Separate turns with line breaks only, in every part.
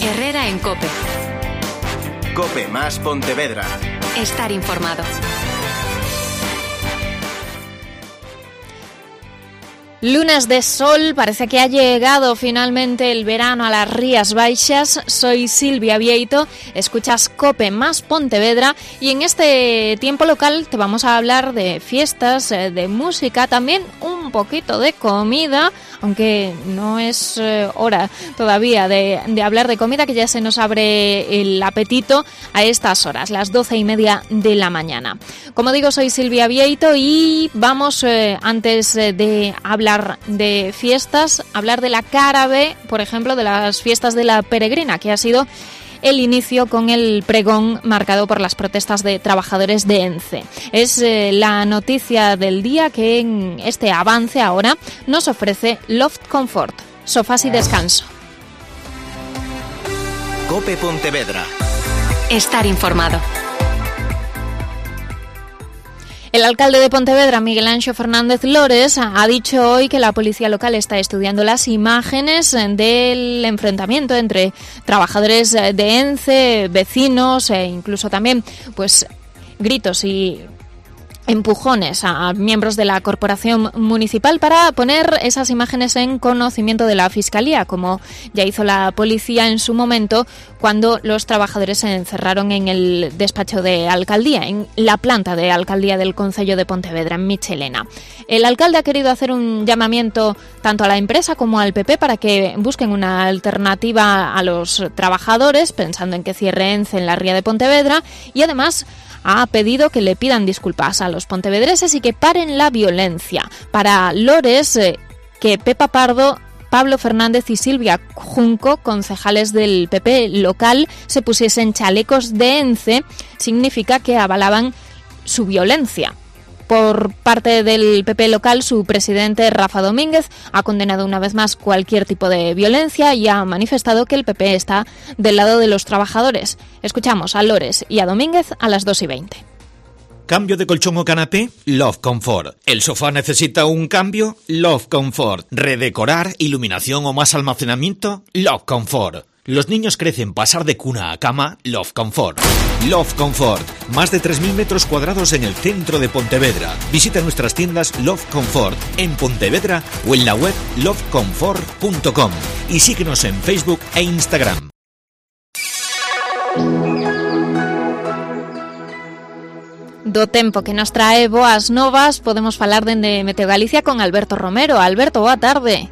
Herrera en COPE.
COPE más Pontevedra.
Estar informado.
Lunes de sol, parece que ha llegado finalmente el verano a las Rías Baixas. Soy Silvia Vieito, escuchas COPE más Pontevedra y en este tiempo local te vamos a hablar de fiestas, de música, también un poquito de comida, aunque no es hora todavía de hablar de comida, que ya se nos abre el apetito a estas horas, las 12:30 de la mañana. Como digo, soy Silvia Vieito y vamos, antes de hablar de fiestas, hablar de la cara B, por ejemplo, de las fiestas de la Peregrina, que ha sido el inicio con el pregón marcado por las protestas de trabajadores de ENCE. Es la noticia del día que en este avance ahora nos ofrece Loft Comfort, sofás y descanso.
COPE Pontevedra.
Estar informado.
El alcalde de Pontevedra, Miguel Anxo Fernández Lores, ha dicho hoy que la policía local está estudiando las imágenes del enfrentamiento entre trabajadores de ENCE, vecinos e incluso también pues gritos y empujones a miembros de la corporación municipal para poner esas imágenes en conocimiento de la Fiscalía, como ya hizo la policía en su momento cuando los trabajadores se encerraron en el despacho de alcaldía, en la planta de alcaldía del concello de Pontevedra, en Michelena. El alcalde ha querido hacer un llamamiento tanto a la empresa como al PP para que busquen una alternativa a los trabajadores, pensando en que cierre ENCE en la ría de Pontevedra, y además ha pedido que le pidan disculpas a los pontevedreses y que paren la violencia. Para Lores, que Pepa Pardo, Pablo Fernández y Silvia Junco, concejales del PP local, se pusiesen chalecos de ENCE, significa que avalaban su violencia. Por parte del PP local, su presidente Rafa Domínguez ha condenado una vez más cualquier tipo de violencia y ha manifestado que el PP está del lado de los trabajadores. Escuchamos a Lores y a Domínguez a las 2:20.
¿Cambio de colchón o canapé? Loft Comfort. ¿El sofá necesita un cambio? Loft Comfort. ¿Redecorar, iluminación o más almacenamiento? Loft Comfort. Los niños crecen, pasar de cuna a cama, Loft Comfort. Loft Comfort, más de 3.000 metros cuadrados en el centro de Pontevedra. Visita nuestras tiendas Loft Comfort en Pontevedra o en la web loftcomfort.com y síguenos en Facebook e Instagram.
Do tempo que nos trae boas novas, podemos falar dende Meteo Galicia con Alberto Romero. Alberto, boa tarde.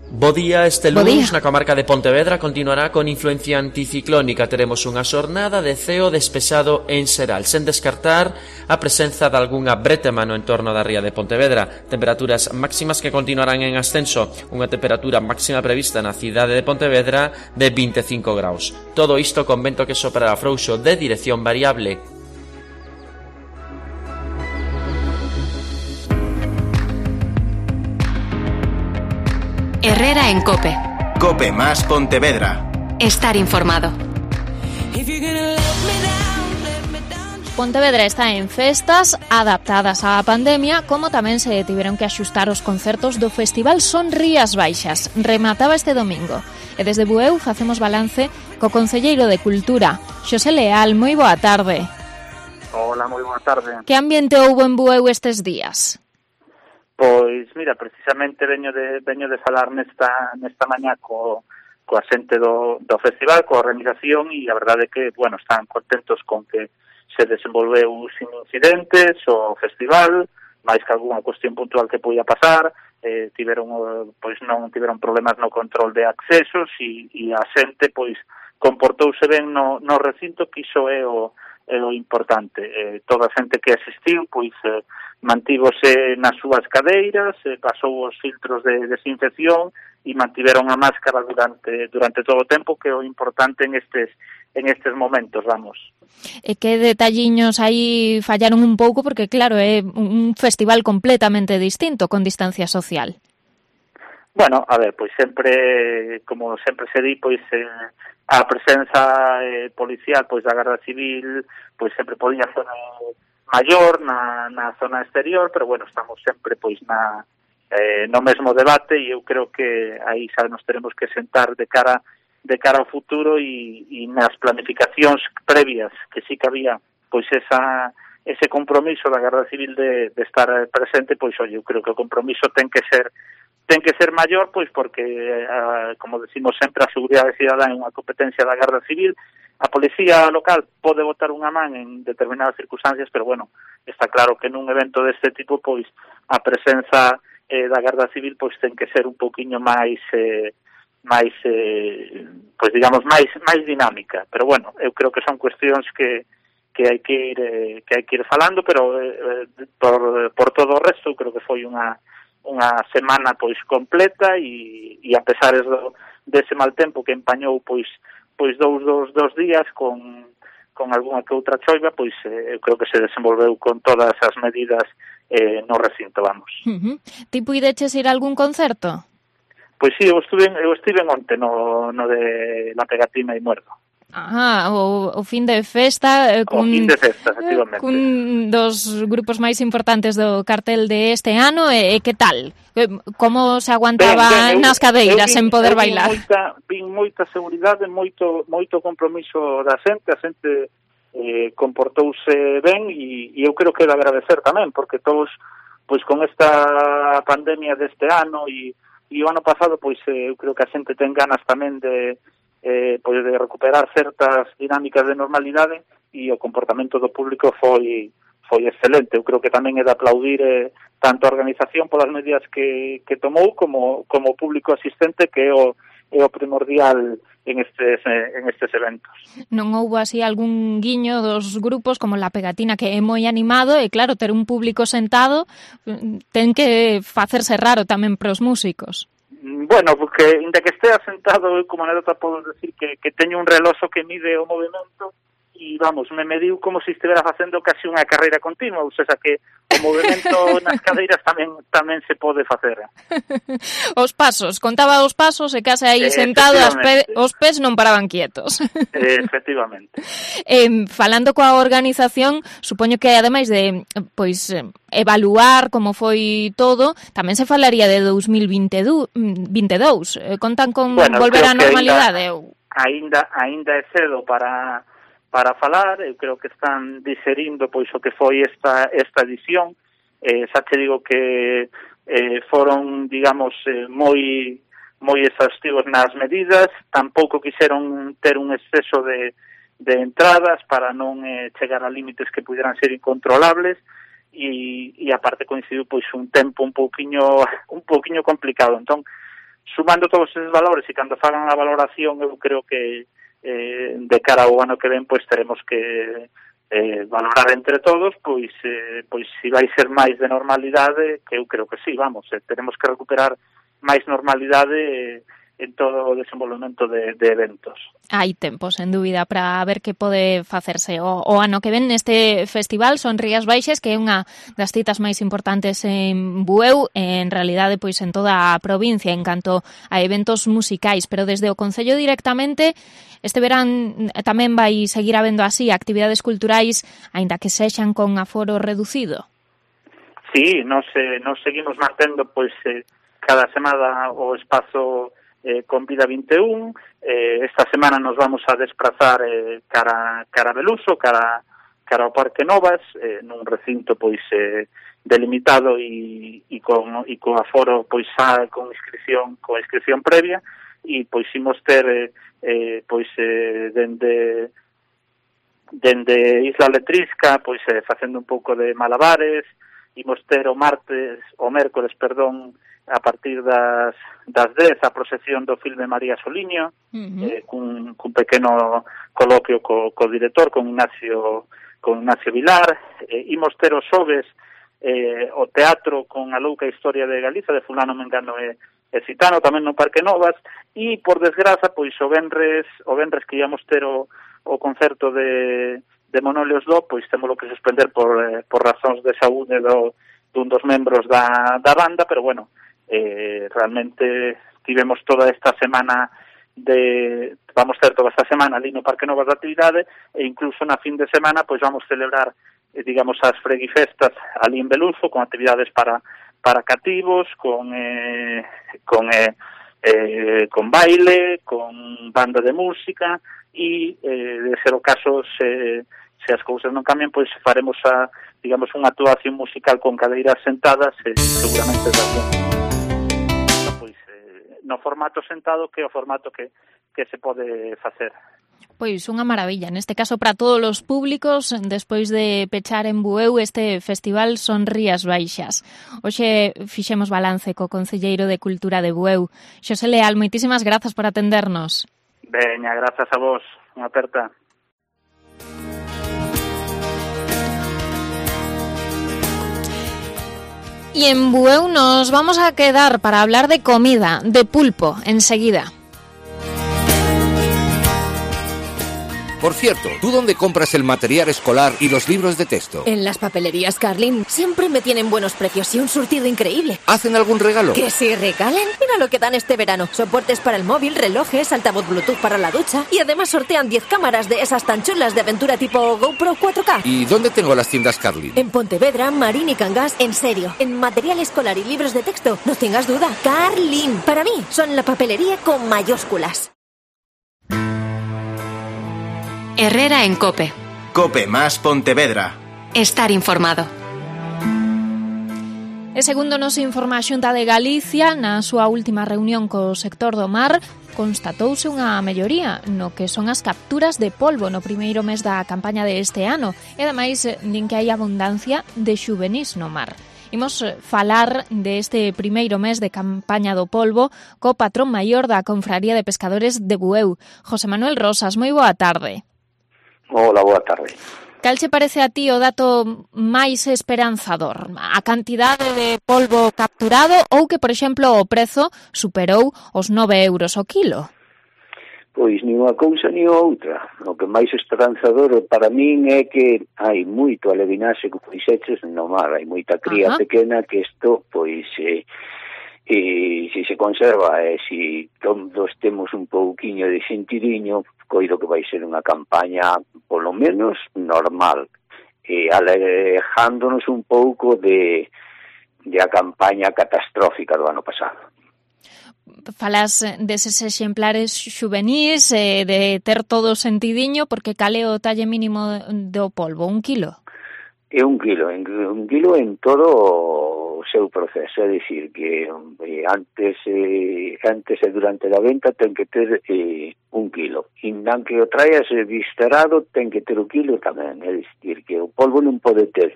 Bo día, este lunes na comarca de Pontevedra continuará con influencia anticiclónica. Teremos unha xornada de ceo despexado en xeral, sen descartar a presenza de algunha bretema no entorno da ría de Pontevedra. Temperaturas máximas que continuarán en ascenso, unha temperatura máxima prevista na cidade de Pontevedra de 25 graus. Todo isto con vento que soprará frouxo de dirección variable.
Herrera en COPE.
COPE más Pontevedra.
Estar informado.
Pontevedra está en festas adaptadas á pandemia, como tamén se tiveron que axustar os concertos do Festival Son Rías Baixas. Remataba este domingo. E desde Bueu facemos balance co concelleiro de Cultura, Xosé Leal. Moi boa tarde.
Hola, moi boa tarde.
Que ambiente houbo en Bueu estes días?
Pois, mira, precisamente veño de falar nesta mañá coa xente do festival, coa organización, e a verdade é que, bueno, están contentos con que se desenvolveu sin incidentes o festival, máis que algunha cuestión puntual que podía pasar, non tiveron problemas no control de accesos e a xente, pois, comportouse ben no recinto, que iso é o importante. Toda a xente que asistiu, pois, mantívose nas súas cadeiras, pasou os filtros de desinfección e mantiveron a máscara durante todo o tempo, que é o importante en estes momentos, vamos.
E que detalliños aí fallaron un pouco, porque claro, é un festival completamente distinto, con distancia social.
Bueno, a ver, pois sempre, como sempre se di, pois a presenza policial, pois da Garda Civil, pois sempre podía ser maior na zona exterior, pero bueno, estamos sempre pois no mesmo debate, e eu creo que aí xa nos teremos que sentar de cara de cara ao futuro e nas planificacións previas que sí que había pois ese compromiso da Garda Civil de estar presente, pois eu creo que o compromiso ten que ser maior, pois porque como decimos sempre, a seguridade cidadá é unha competencia da Garda Civil. A policía local pode botar unha man en determinadas circunstancias, pero bueno, está claro que nun evento deste tipo pois a presenza da Garda Civil pois ten que ser un pouquiño máis pois digamos máis dinámica, pero bueno, eu creo que son cuestións que hai que ir falando, pero por todo o resto eu creo que foi unha semana pois completa e a pesar dese mal tempo que empañou pois dous días con algunha que outra choiva, pois eu creo que se desenvolveu con todas as medidas no recinto, vamos.
Ti puideches ir a algún concerto?
Pois sí, eu estive onte no de La Pegatina e Muerdo.
O fin de festa
o fin de festa, efectivamente.
Cun dos grupos máis importantes do cartel de este ano, e que tal? Como se aguantaba nas cadeiras en poder bailar?
Vin moita seguridade, moito compromiso da xente, a xente comportouse ben e eu creo que é de agradecer tamén, porque todos, pois con esta pandemia deste ano e o ano pasado, pois eu creo que a xente ten ganas tamén de recuperar certas dinámicas de normalidade e o comportamento do público foi excelente. Eu creo que tamén é de aplaudir tanto a organización polas medidas que tomou como o público asistente, que é o primordial en estes eventos.
Non houbo así algún guiño dos grupos como La Pegatina, que é moi animado, e claro, ter un público sentado ten que facerse raro tamén pros músicos.
Bueno, porque inda que estea sentado, eu como anécdota podo decir que teño un reloxo que mide o movimento e, vamos, me mediu como se estivera facendo casi unha carreira continua, ou seja, que o movimento nas cadeiras tamén se pode facer.
Os pasos, contaba os pasos e case aí sentado, os pés non paraban quietos.
Efectivamente.
Falando coa organización, supoño que ademais de evaluar como foi todo, tamén se falaría de 2022. Contan con volver á normalidade?
Ainda é cedo para falar. Eu creo que están digerindo pois o que foi esta edición. Xa te digo que foron, digamos, moi exhaustivos nas medidas. Tampouco quixeron ter un exceso de entradas para non chegar a límites que pudieran ser incontrolables e aparte coincidiu pois un tempo un pouquiño complicado. Entón, sumando todos esos valores e cando fagan a valoración, eu creo que de cara ao ano que ven pois teremos que valorar entre todos pois se vai ser máis de normalidade, que eu creo que sí, vamos, teremos que recuperar máis normalidade en todo o desenvolvemento de eventos.
Hai tempo, sen dúbida, para ver que pode facerse o ano que ven neste festival. Son Rías Baixas, que é unha das citas máis importantes en Bueu, en realidade pois en toda a provincia en canto a eventos musicais, pero desde o Concello directamente este verán tamén vai seguir habendo así actividades culturais, aínda que sexan con aforo reducido.
Sí, nos seguimos mantendo pois cada semana o espazo con Vida 21. Esta semana nos vamos a desplazar cara a Beluso, cara ao Parque Novas, nun recinto pois delimitado e con aforo pois con inscripción previa, e pois imos ter pois dende Isla Letrisca pois facendo un pouco de malabares. Imos ter o mércores, a partir das 10 a procesión do filme María Soliño, cun pequeno coloquio co director, con Ignacio Vilar. Imos ter os xoves o teatro con A louca historia de Galiza, de fulano, mengano e citano, tamén no Parque Novas. E, por desgraza, pois o venres que íamos ter o concerto de Monolios Do, pois temos que suspender por razóns de saúde dun dos membros da banda, pero bueno, realmente tivemos toda esta semana vamos ter toda esta semana ali no Parque Novas de actividade, e incluso na fin de semana pois vamos celebrar digamos as freguifestas ali en Beluso, con actividades para cativos, con con baile, con banda de música, e de ser o caso, se as cousas non cambian, pois faremos digamos, unha actuación musical con cadeiras sentadas, seguramente pois, no formato sentado, que é o formato que se pode facer.
Pois unha maravilla, neste caso para todos os públicos, despois de pechar en Bueu este festival Son Rías Baixas. Hoxe fixemos balance co Concelleiro de Cultura de Bueu. Xosé Leal, moitísimas grazas por atendernos.
Veña, grazas a vos, unha aperta.
Y en Bueu nos vamos a quedar para hablar de comida, de pulpo, enseguida.
Por cierto, ¿tú dónde compras el material escolar y los libros de texto?
En las papelerías Carlin. Siempre me tienen buenos precios y un surtido increíble.
¿Hacen algún regalo?
¿Que si regalan? Mira lo que dan este verano. Soportes para el móvil, relojes, altavoz Bluetooth para la ducha. Y además sortean 10 cámaras de esas tan chulas de aventura tipo GoPro 4K.
¿Y dónde tengo las tiendas Carlin?
En Pontevedra, Marín y Cangas. En serio, en material escolar y libros de texto, no tengas duda. Carlin. Para mí, son la papelería con mayúsculas.
Herrera en COPE.
COPE más Pontevedra.
Estar informado.
E segundo nos informa a Xunta de Galicia, na súa última reunión co sector do mar, constatouse unha melloría no que son as capturas de polvo no primeiro mes da campaña de este ano, e ademais din que hai abundancia de xuvenís no mar. Imos falar deste primeiro mes de campaña do polvo co patrón maior da Confraría de Pescadores de Bueu, José Manuel Rosas. Moi boa tarde.
Hola, boa tarde.
Cal che parece a ti o dato máis esperanzador? A cantidade de polvo capturado ou que, por exemplo, o prezo superou os 9 euros o quilo?
Pois ni unha cousa ni outra. O que máis esperanzador para min é que hai moito alevinaxe que fixeches no mar. Hai moita cría pequena que isto, pois, se se conserva e se todos temos un pouquiño de sentidiño, coido que vai ser unha campaña polo menos normal, alejándonos un pouco de a campaña catastrófica do ano pasado.
Falas deses exemplares xuvenís, de ter todo sentidiño, porque cal é o talle mínimo do polvo? 1 kilo?
É 1 kilo, un kilo en todo o seu proceso, é dicir que antes e durante a venta ten que ter 1 kilo, e nan que o traes viscerado ten que ter 1 kilo tamén, é dicir que o polvo non pode ter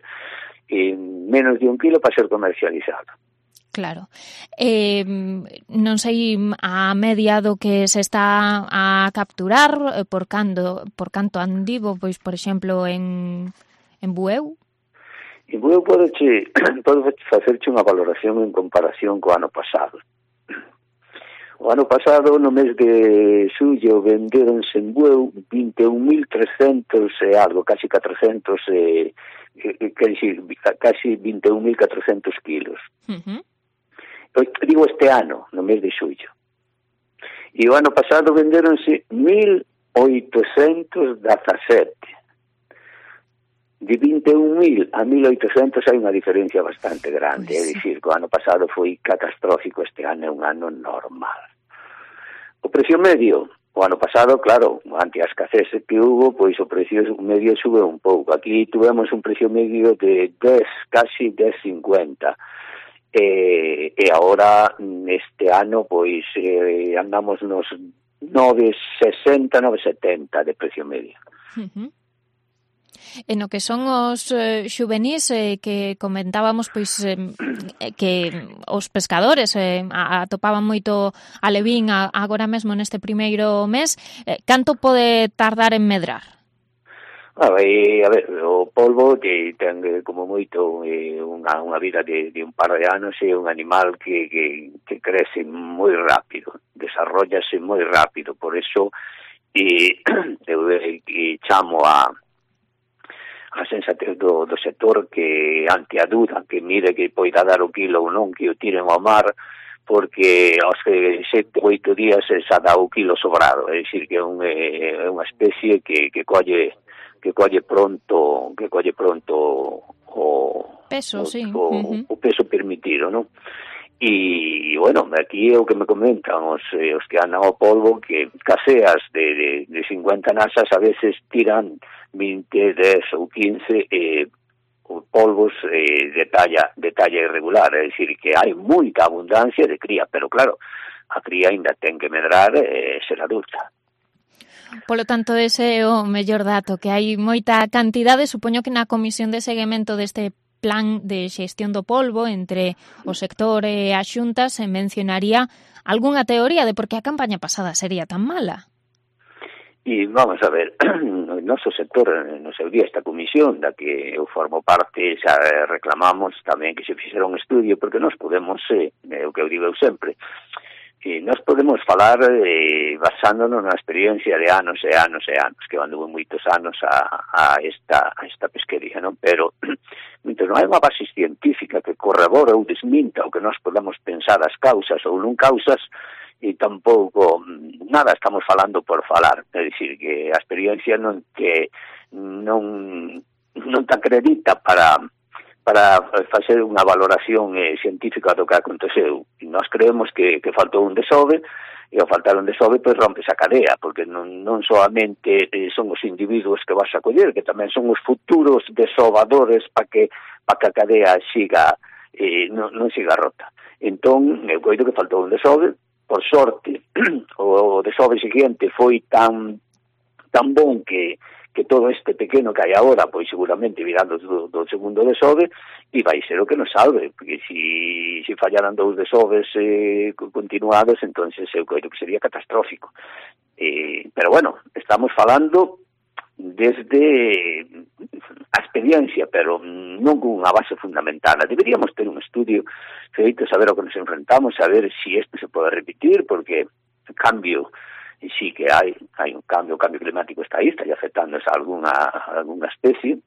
menos de 1 kilo para ser comercializado.
Claro. Non sei a media do que se está a capturar, por canto andivo, pois, por exemplo, en Bueu?
En Bueu podo facerche unha valoración en comparación co ano pasado. O ano pasado, no mes de xullo, venderonse en Bueu 21.300 e algo, casi 400, casi 21.400 kilos. Digo este ano, no mes de xullo. E o ano pasado venderonse 1.817. De 21.000 a 1.800 hai unha diferencia bastante grande, é dicir, que o ano pasado foi catastrófico, este ano é un ano normal. O precio medio, o ano pasado, claro, ante a escasez que hubo, pois o precio medio sube un pouco. Aquí tuvemos un precio medio de 10, casi 10,50. E agora, este ano, pois andamos nos 9,60, 9,70 de precio medio.
E no que son os xuvenís que comentábamos, pois que os pescadores atopaban moito alevín agora mesmo neste primeiro mes, canto pode tardar en medrar?
A ver, o polvo que ten como moito unha vida de un par de anos, é un animal que crece moi rápido, desarrollase moi rápido, por eso chamo a sensatez do sector que ante a duda que mire que poida dar o kilo ou non, que o tiren ao mar, porque aos 7 ou 8 días xa dá o kilo sobrado, é dicir que é unha especie que colle pronto o
peso, sí.
O peso permitido, non? E, bueno, aquí é o que me comentan os que andan ao polvo, que caseas de 50 nasas a veces tiran 20, 10 ou 15 polvos de talla irregular, é dicir, que hai moita abundancia de cría, pero claro, a cría ainda ten que medrar ser adulta.
Polo tanto, ese é o mellor dato, que hai moita cantidade. Supoño que na comisión de seguimento deste plan de xestión do polvo entre o sector e a Xunta se mencionaría algunha teoría de por que a campaña pasada sería tan mala.
E vamos a ver, no noso sector, no seu día, esta comisión da que eu formo parte, xa reclamamos tamén que se fixera un estudio, porque nós podemos, o que eu digo eu sempre, nós podemos falar basándonos na experiencia de anos e anos e anos, que anduvo moitos anos a esta pesquería, non? Pero non hai unha base científica que corrobore ou desminta o que nós podemos pensar as causas ou non causas, e tampouco nada estamos falando por falar, é dicir, que a experiencia non te acredita para facer unha valoración científica do que aconteceu. E nós creemos que faltou un desove, e ao faltar un desove, pois rompes a cadea, porque non solamente son os individuos que vas a coller, que tamén son os futuros desovadores para que a cadea siga, non siga rota. Entón, eu coido que faltou un desove. Por sorte, o desove seguinte foi tan bon que todo este pequeno que hai agora, pois seguramente virando do segundo desove, e vai ser o que nos salve, porque se fallaran 2 desoves continuados, entonces eu creo que sería catastrófico. Pero bueno, estamos falando desde a experiencia, pero non con unha base fundamentada. Deberíamos ter un estudio feito, saber ao que nos enfrentamos, saber se isto se pode repetir, porque o cambio, sí que hai un cambio, o cambio climático está aí, está afectando a alguna especie,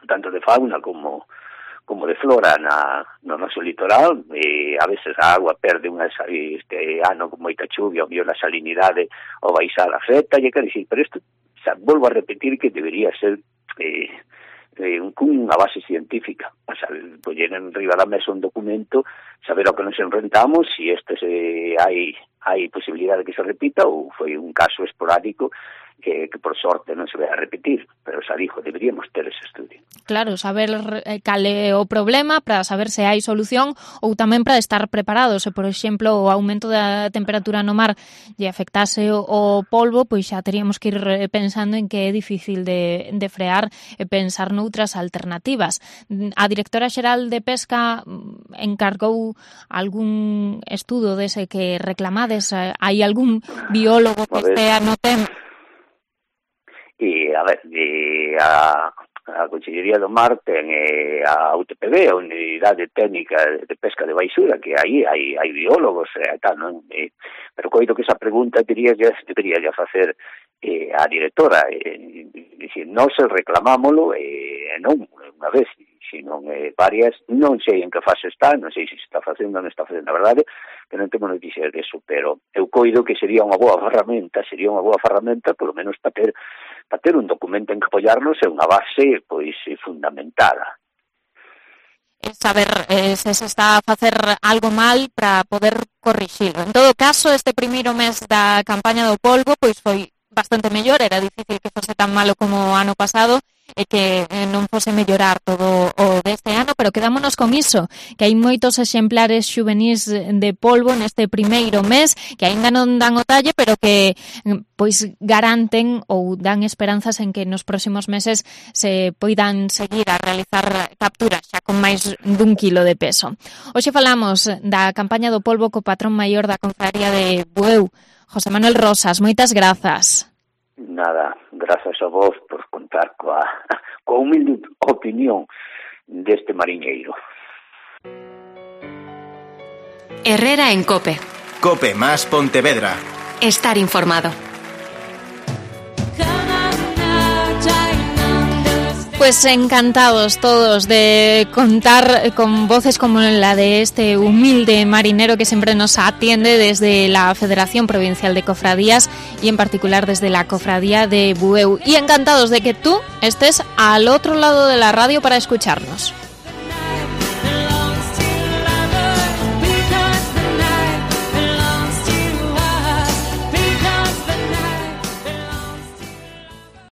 tanto de fauna como de flora no noso litoral. A veces a agua perde este ano con moita chuvia, o mellor a salinidade ou baixar afecta, e quero dicir, pero isto, volvo a repetir que debería ser unha base científica, poñer en riba da mesa un documento, saber ao que nos enfrentamos, se hai posibilidade de que se repita ou foi un caso esporádico que por sorte non se vai a repetir, pero xa dixo, deberíamos ter ese estudio.
Claro, saber cal é o problema para saber se hai solución ou tamén para estar preparados. Se, por exemplo, o aumento da temperatura no mar lle afectase o polvo, pois xa teríamos que ir pensando en que é difícil de frear e pensar noutras alternativas. A directora xeral de Pesca encargou algún estudo dese que reclamades? Hai algún biólogo que estea no tema?
A ver, a Consellería do Mar ten a UTPB, a Unidade Técnica de Pesca de Baixura, que aí hai biólogos e tal, non? Pero coido que esa pregunta debería facer a directora, dicir, non se reclamámolo non unha vez, sino varias, non sei en que fase está, non sei se está facendo ou non está facendo, a verdade que non temos noticias deso, pero eu coido que sería unha boa ferramenta, polo menos para ter un documento en que apoiarnos e unha base pois fundamentada.
Saber se se está a facer algo mal para poder corrixilo. En todo caso, este primeiro mes da campaña do polvo pois foi bastante mellor, era difícil que fose tan malo como o ano pasado e que non fose mellorar todo o deste ano, pero quedámonos con iso, que hai moitos exemplares xuvenís de polvo neste primeiro mes, que aínda non dan o talle, pero que pois garanten ou dan esperanzas en que nos próximos meses se poidan seguir a realizar capturas xa con máis dun kilo de peso. Hoxe falamos da campaña do polvo co patrón maior da Confraría de Bueu, José Manuel Rosas. Moitas grazas.
Nada, grazas a vos por contar coa humilde opinión deste mariñeiro.
Herrera en COPE.
COPE más Pontevedra.
Estar informado.
Pues encantados todos de contar con voces como la de este humilde marinero que siempre nos atiende desde la Federación Provincial de Cofradías y en particular desde la Cofradía de Bueu. Y encantados de que tú estés al otro lado de la radio para escucharnos.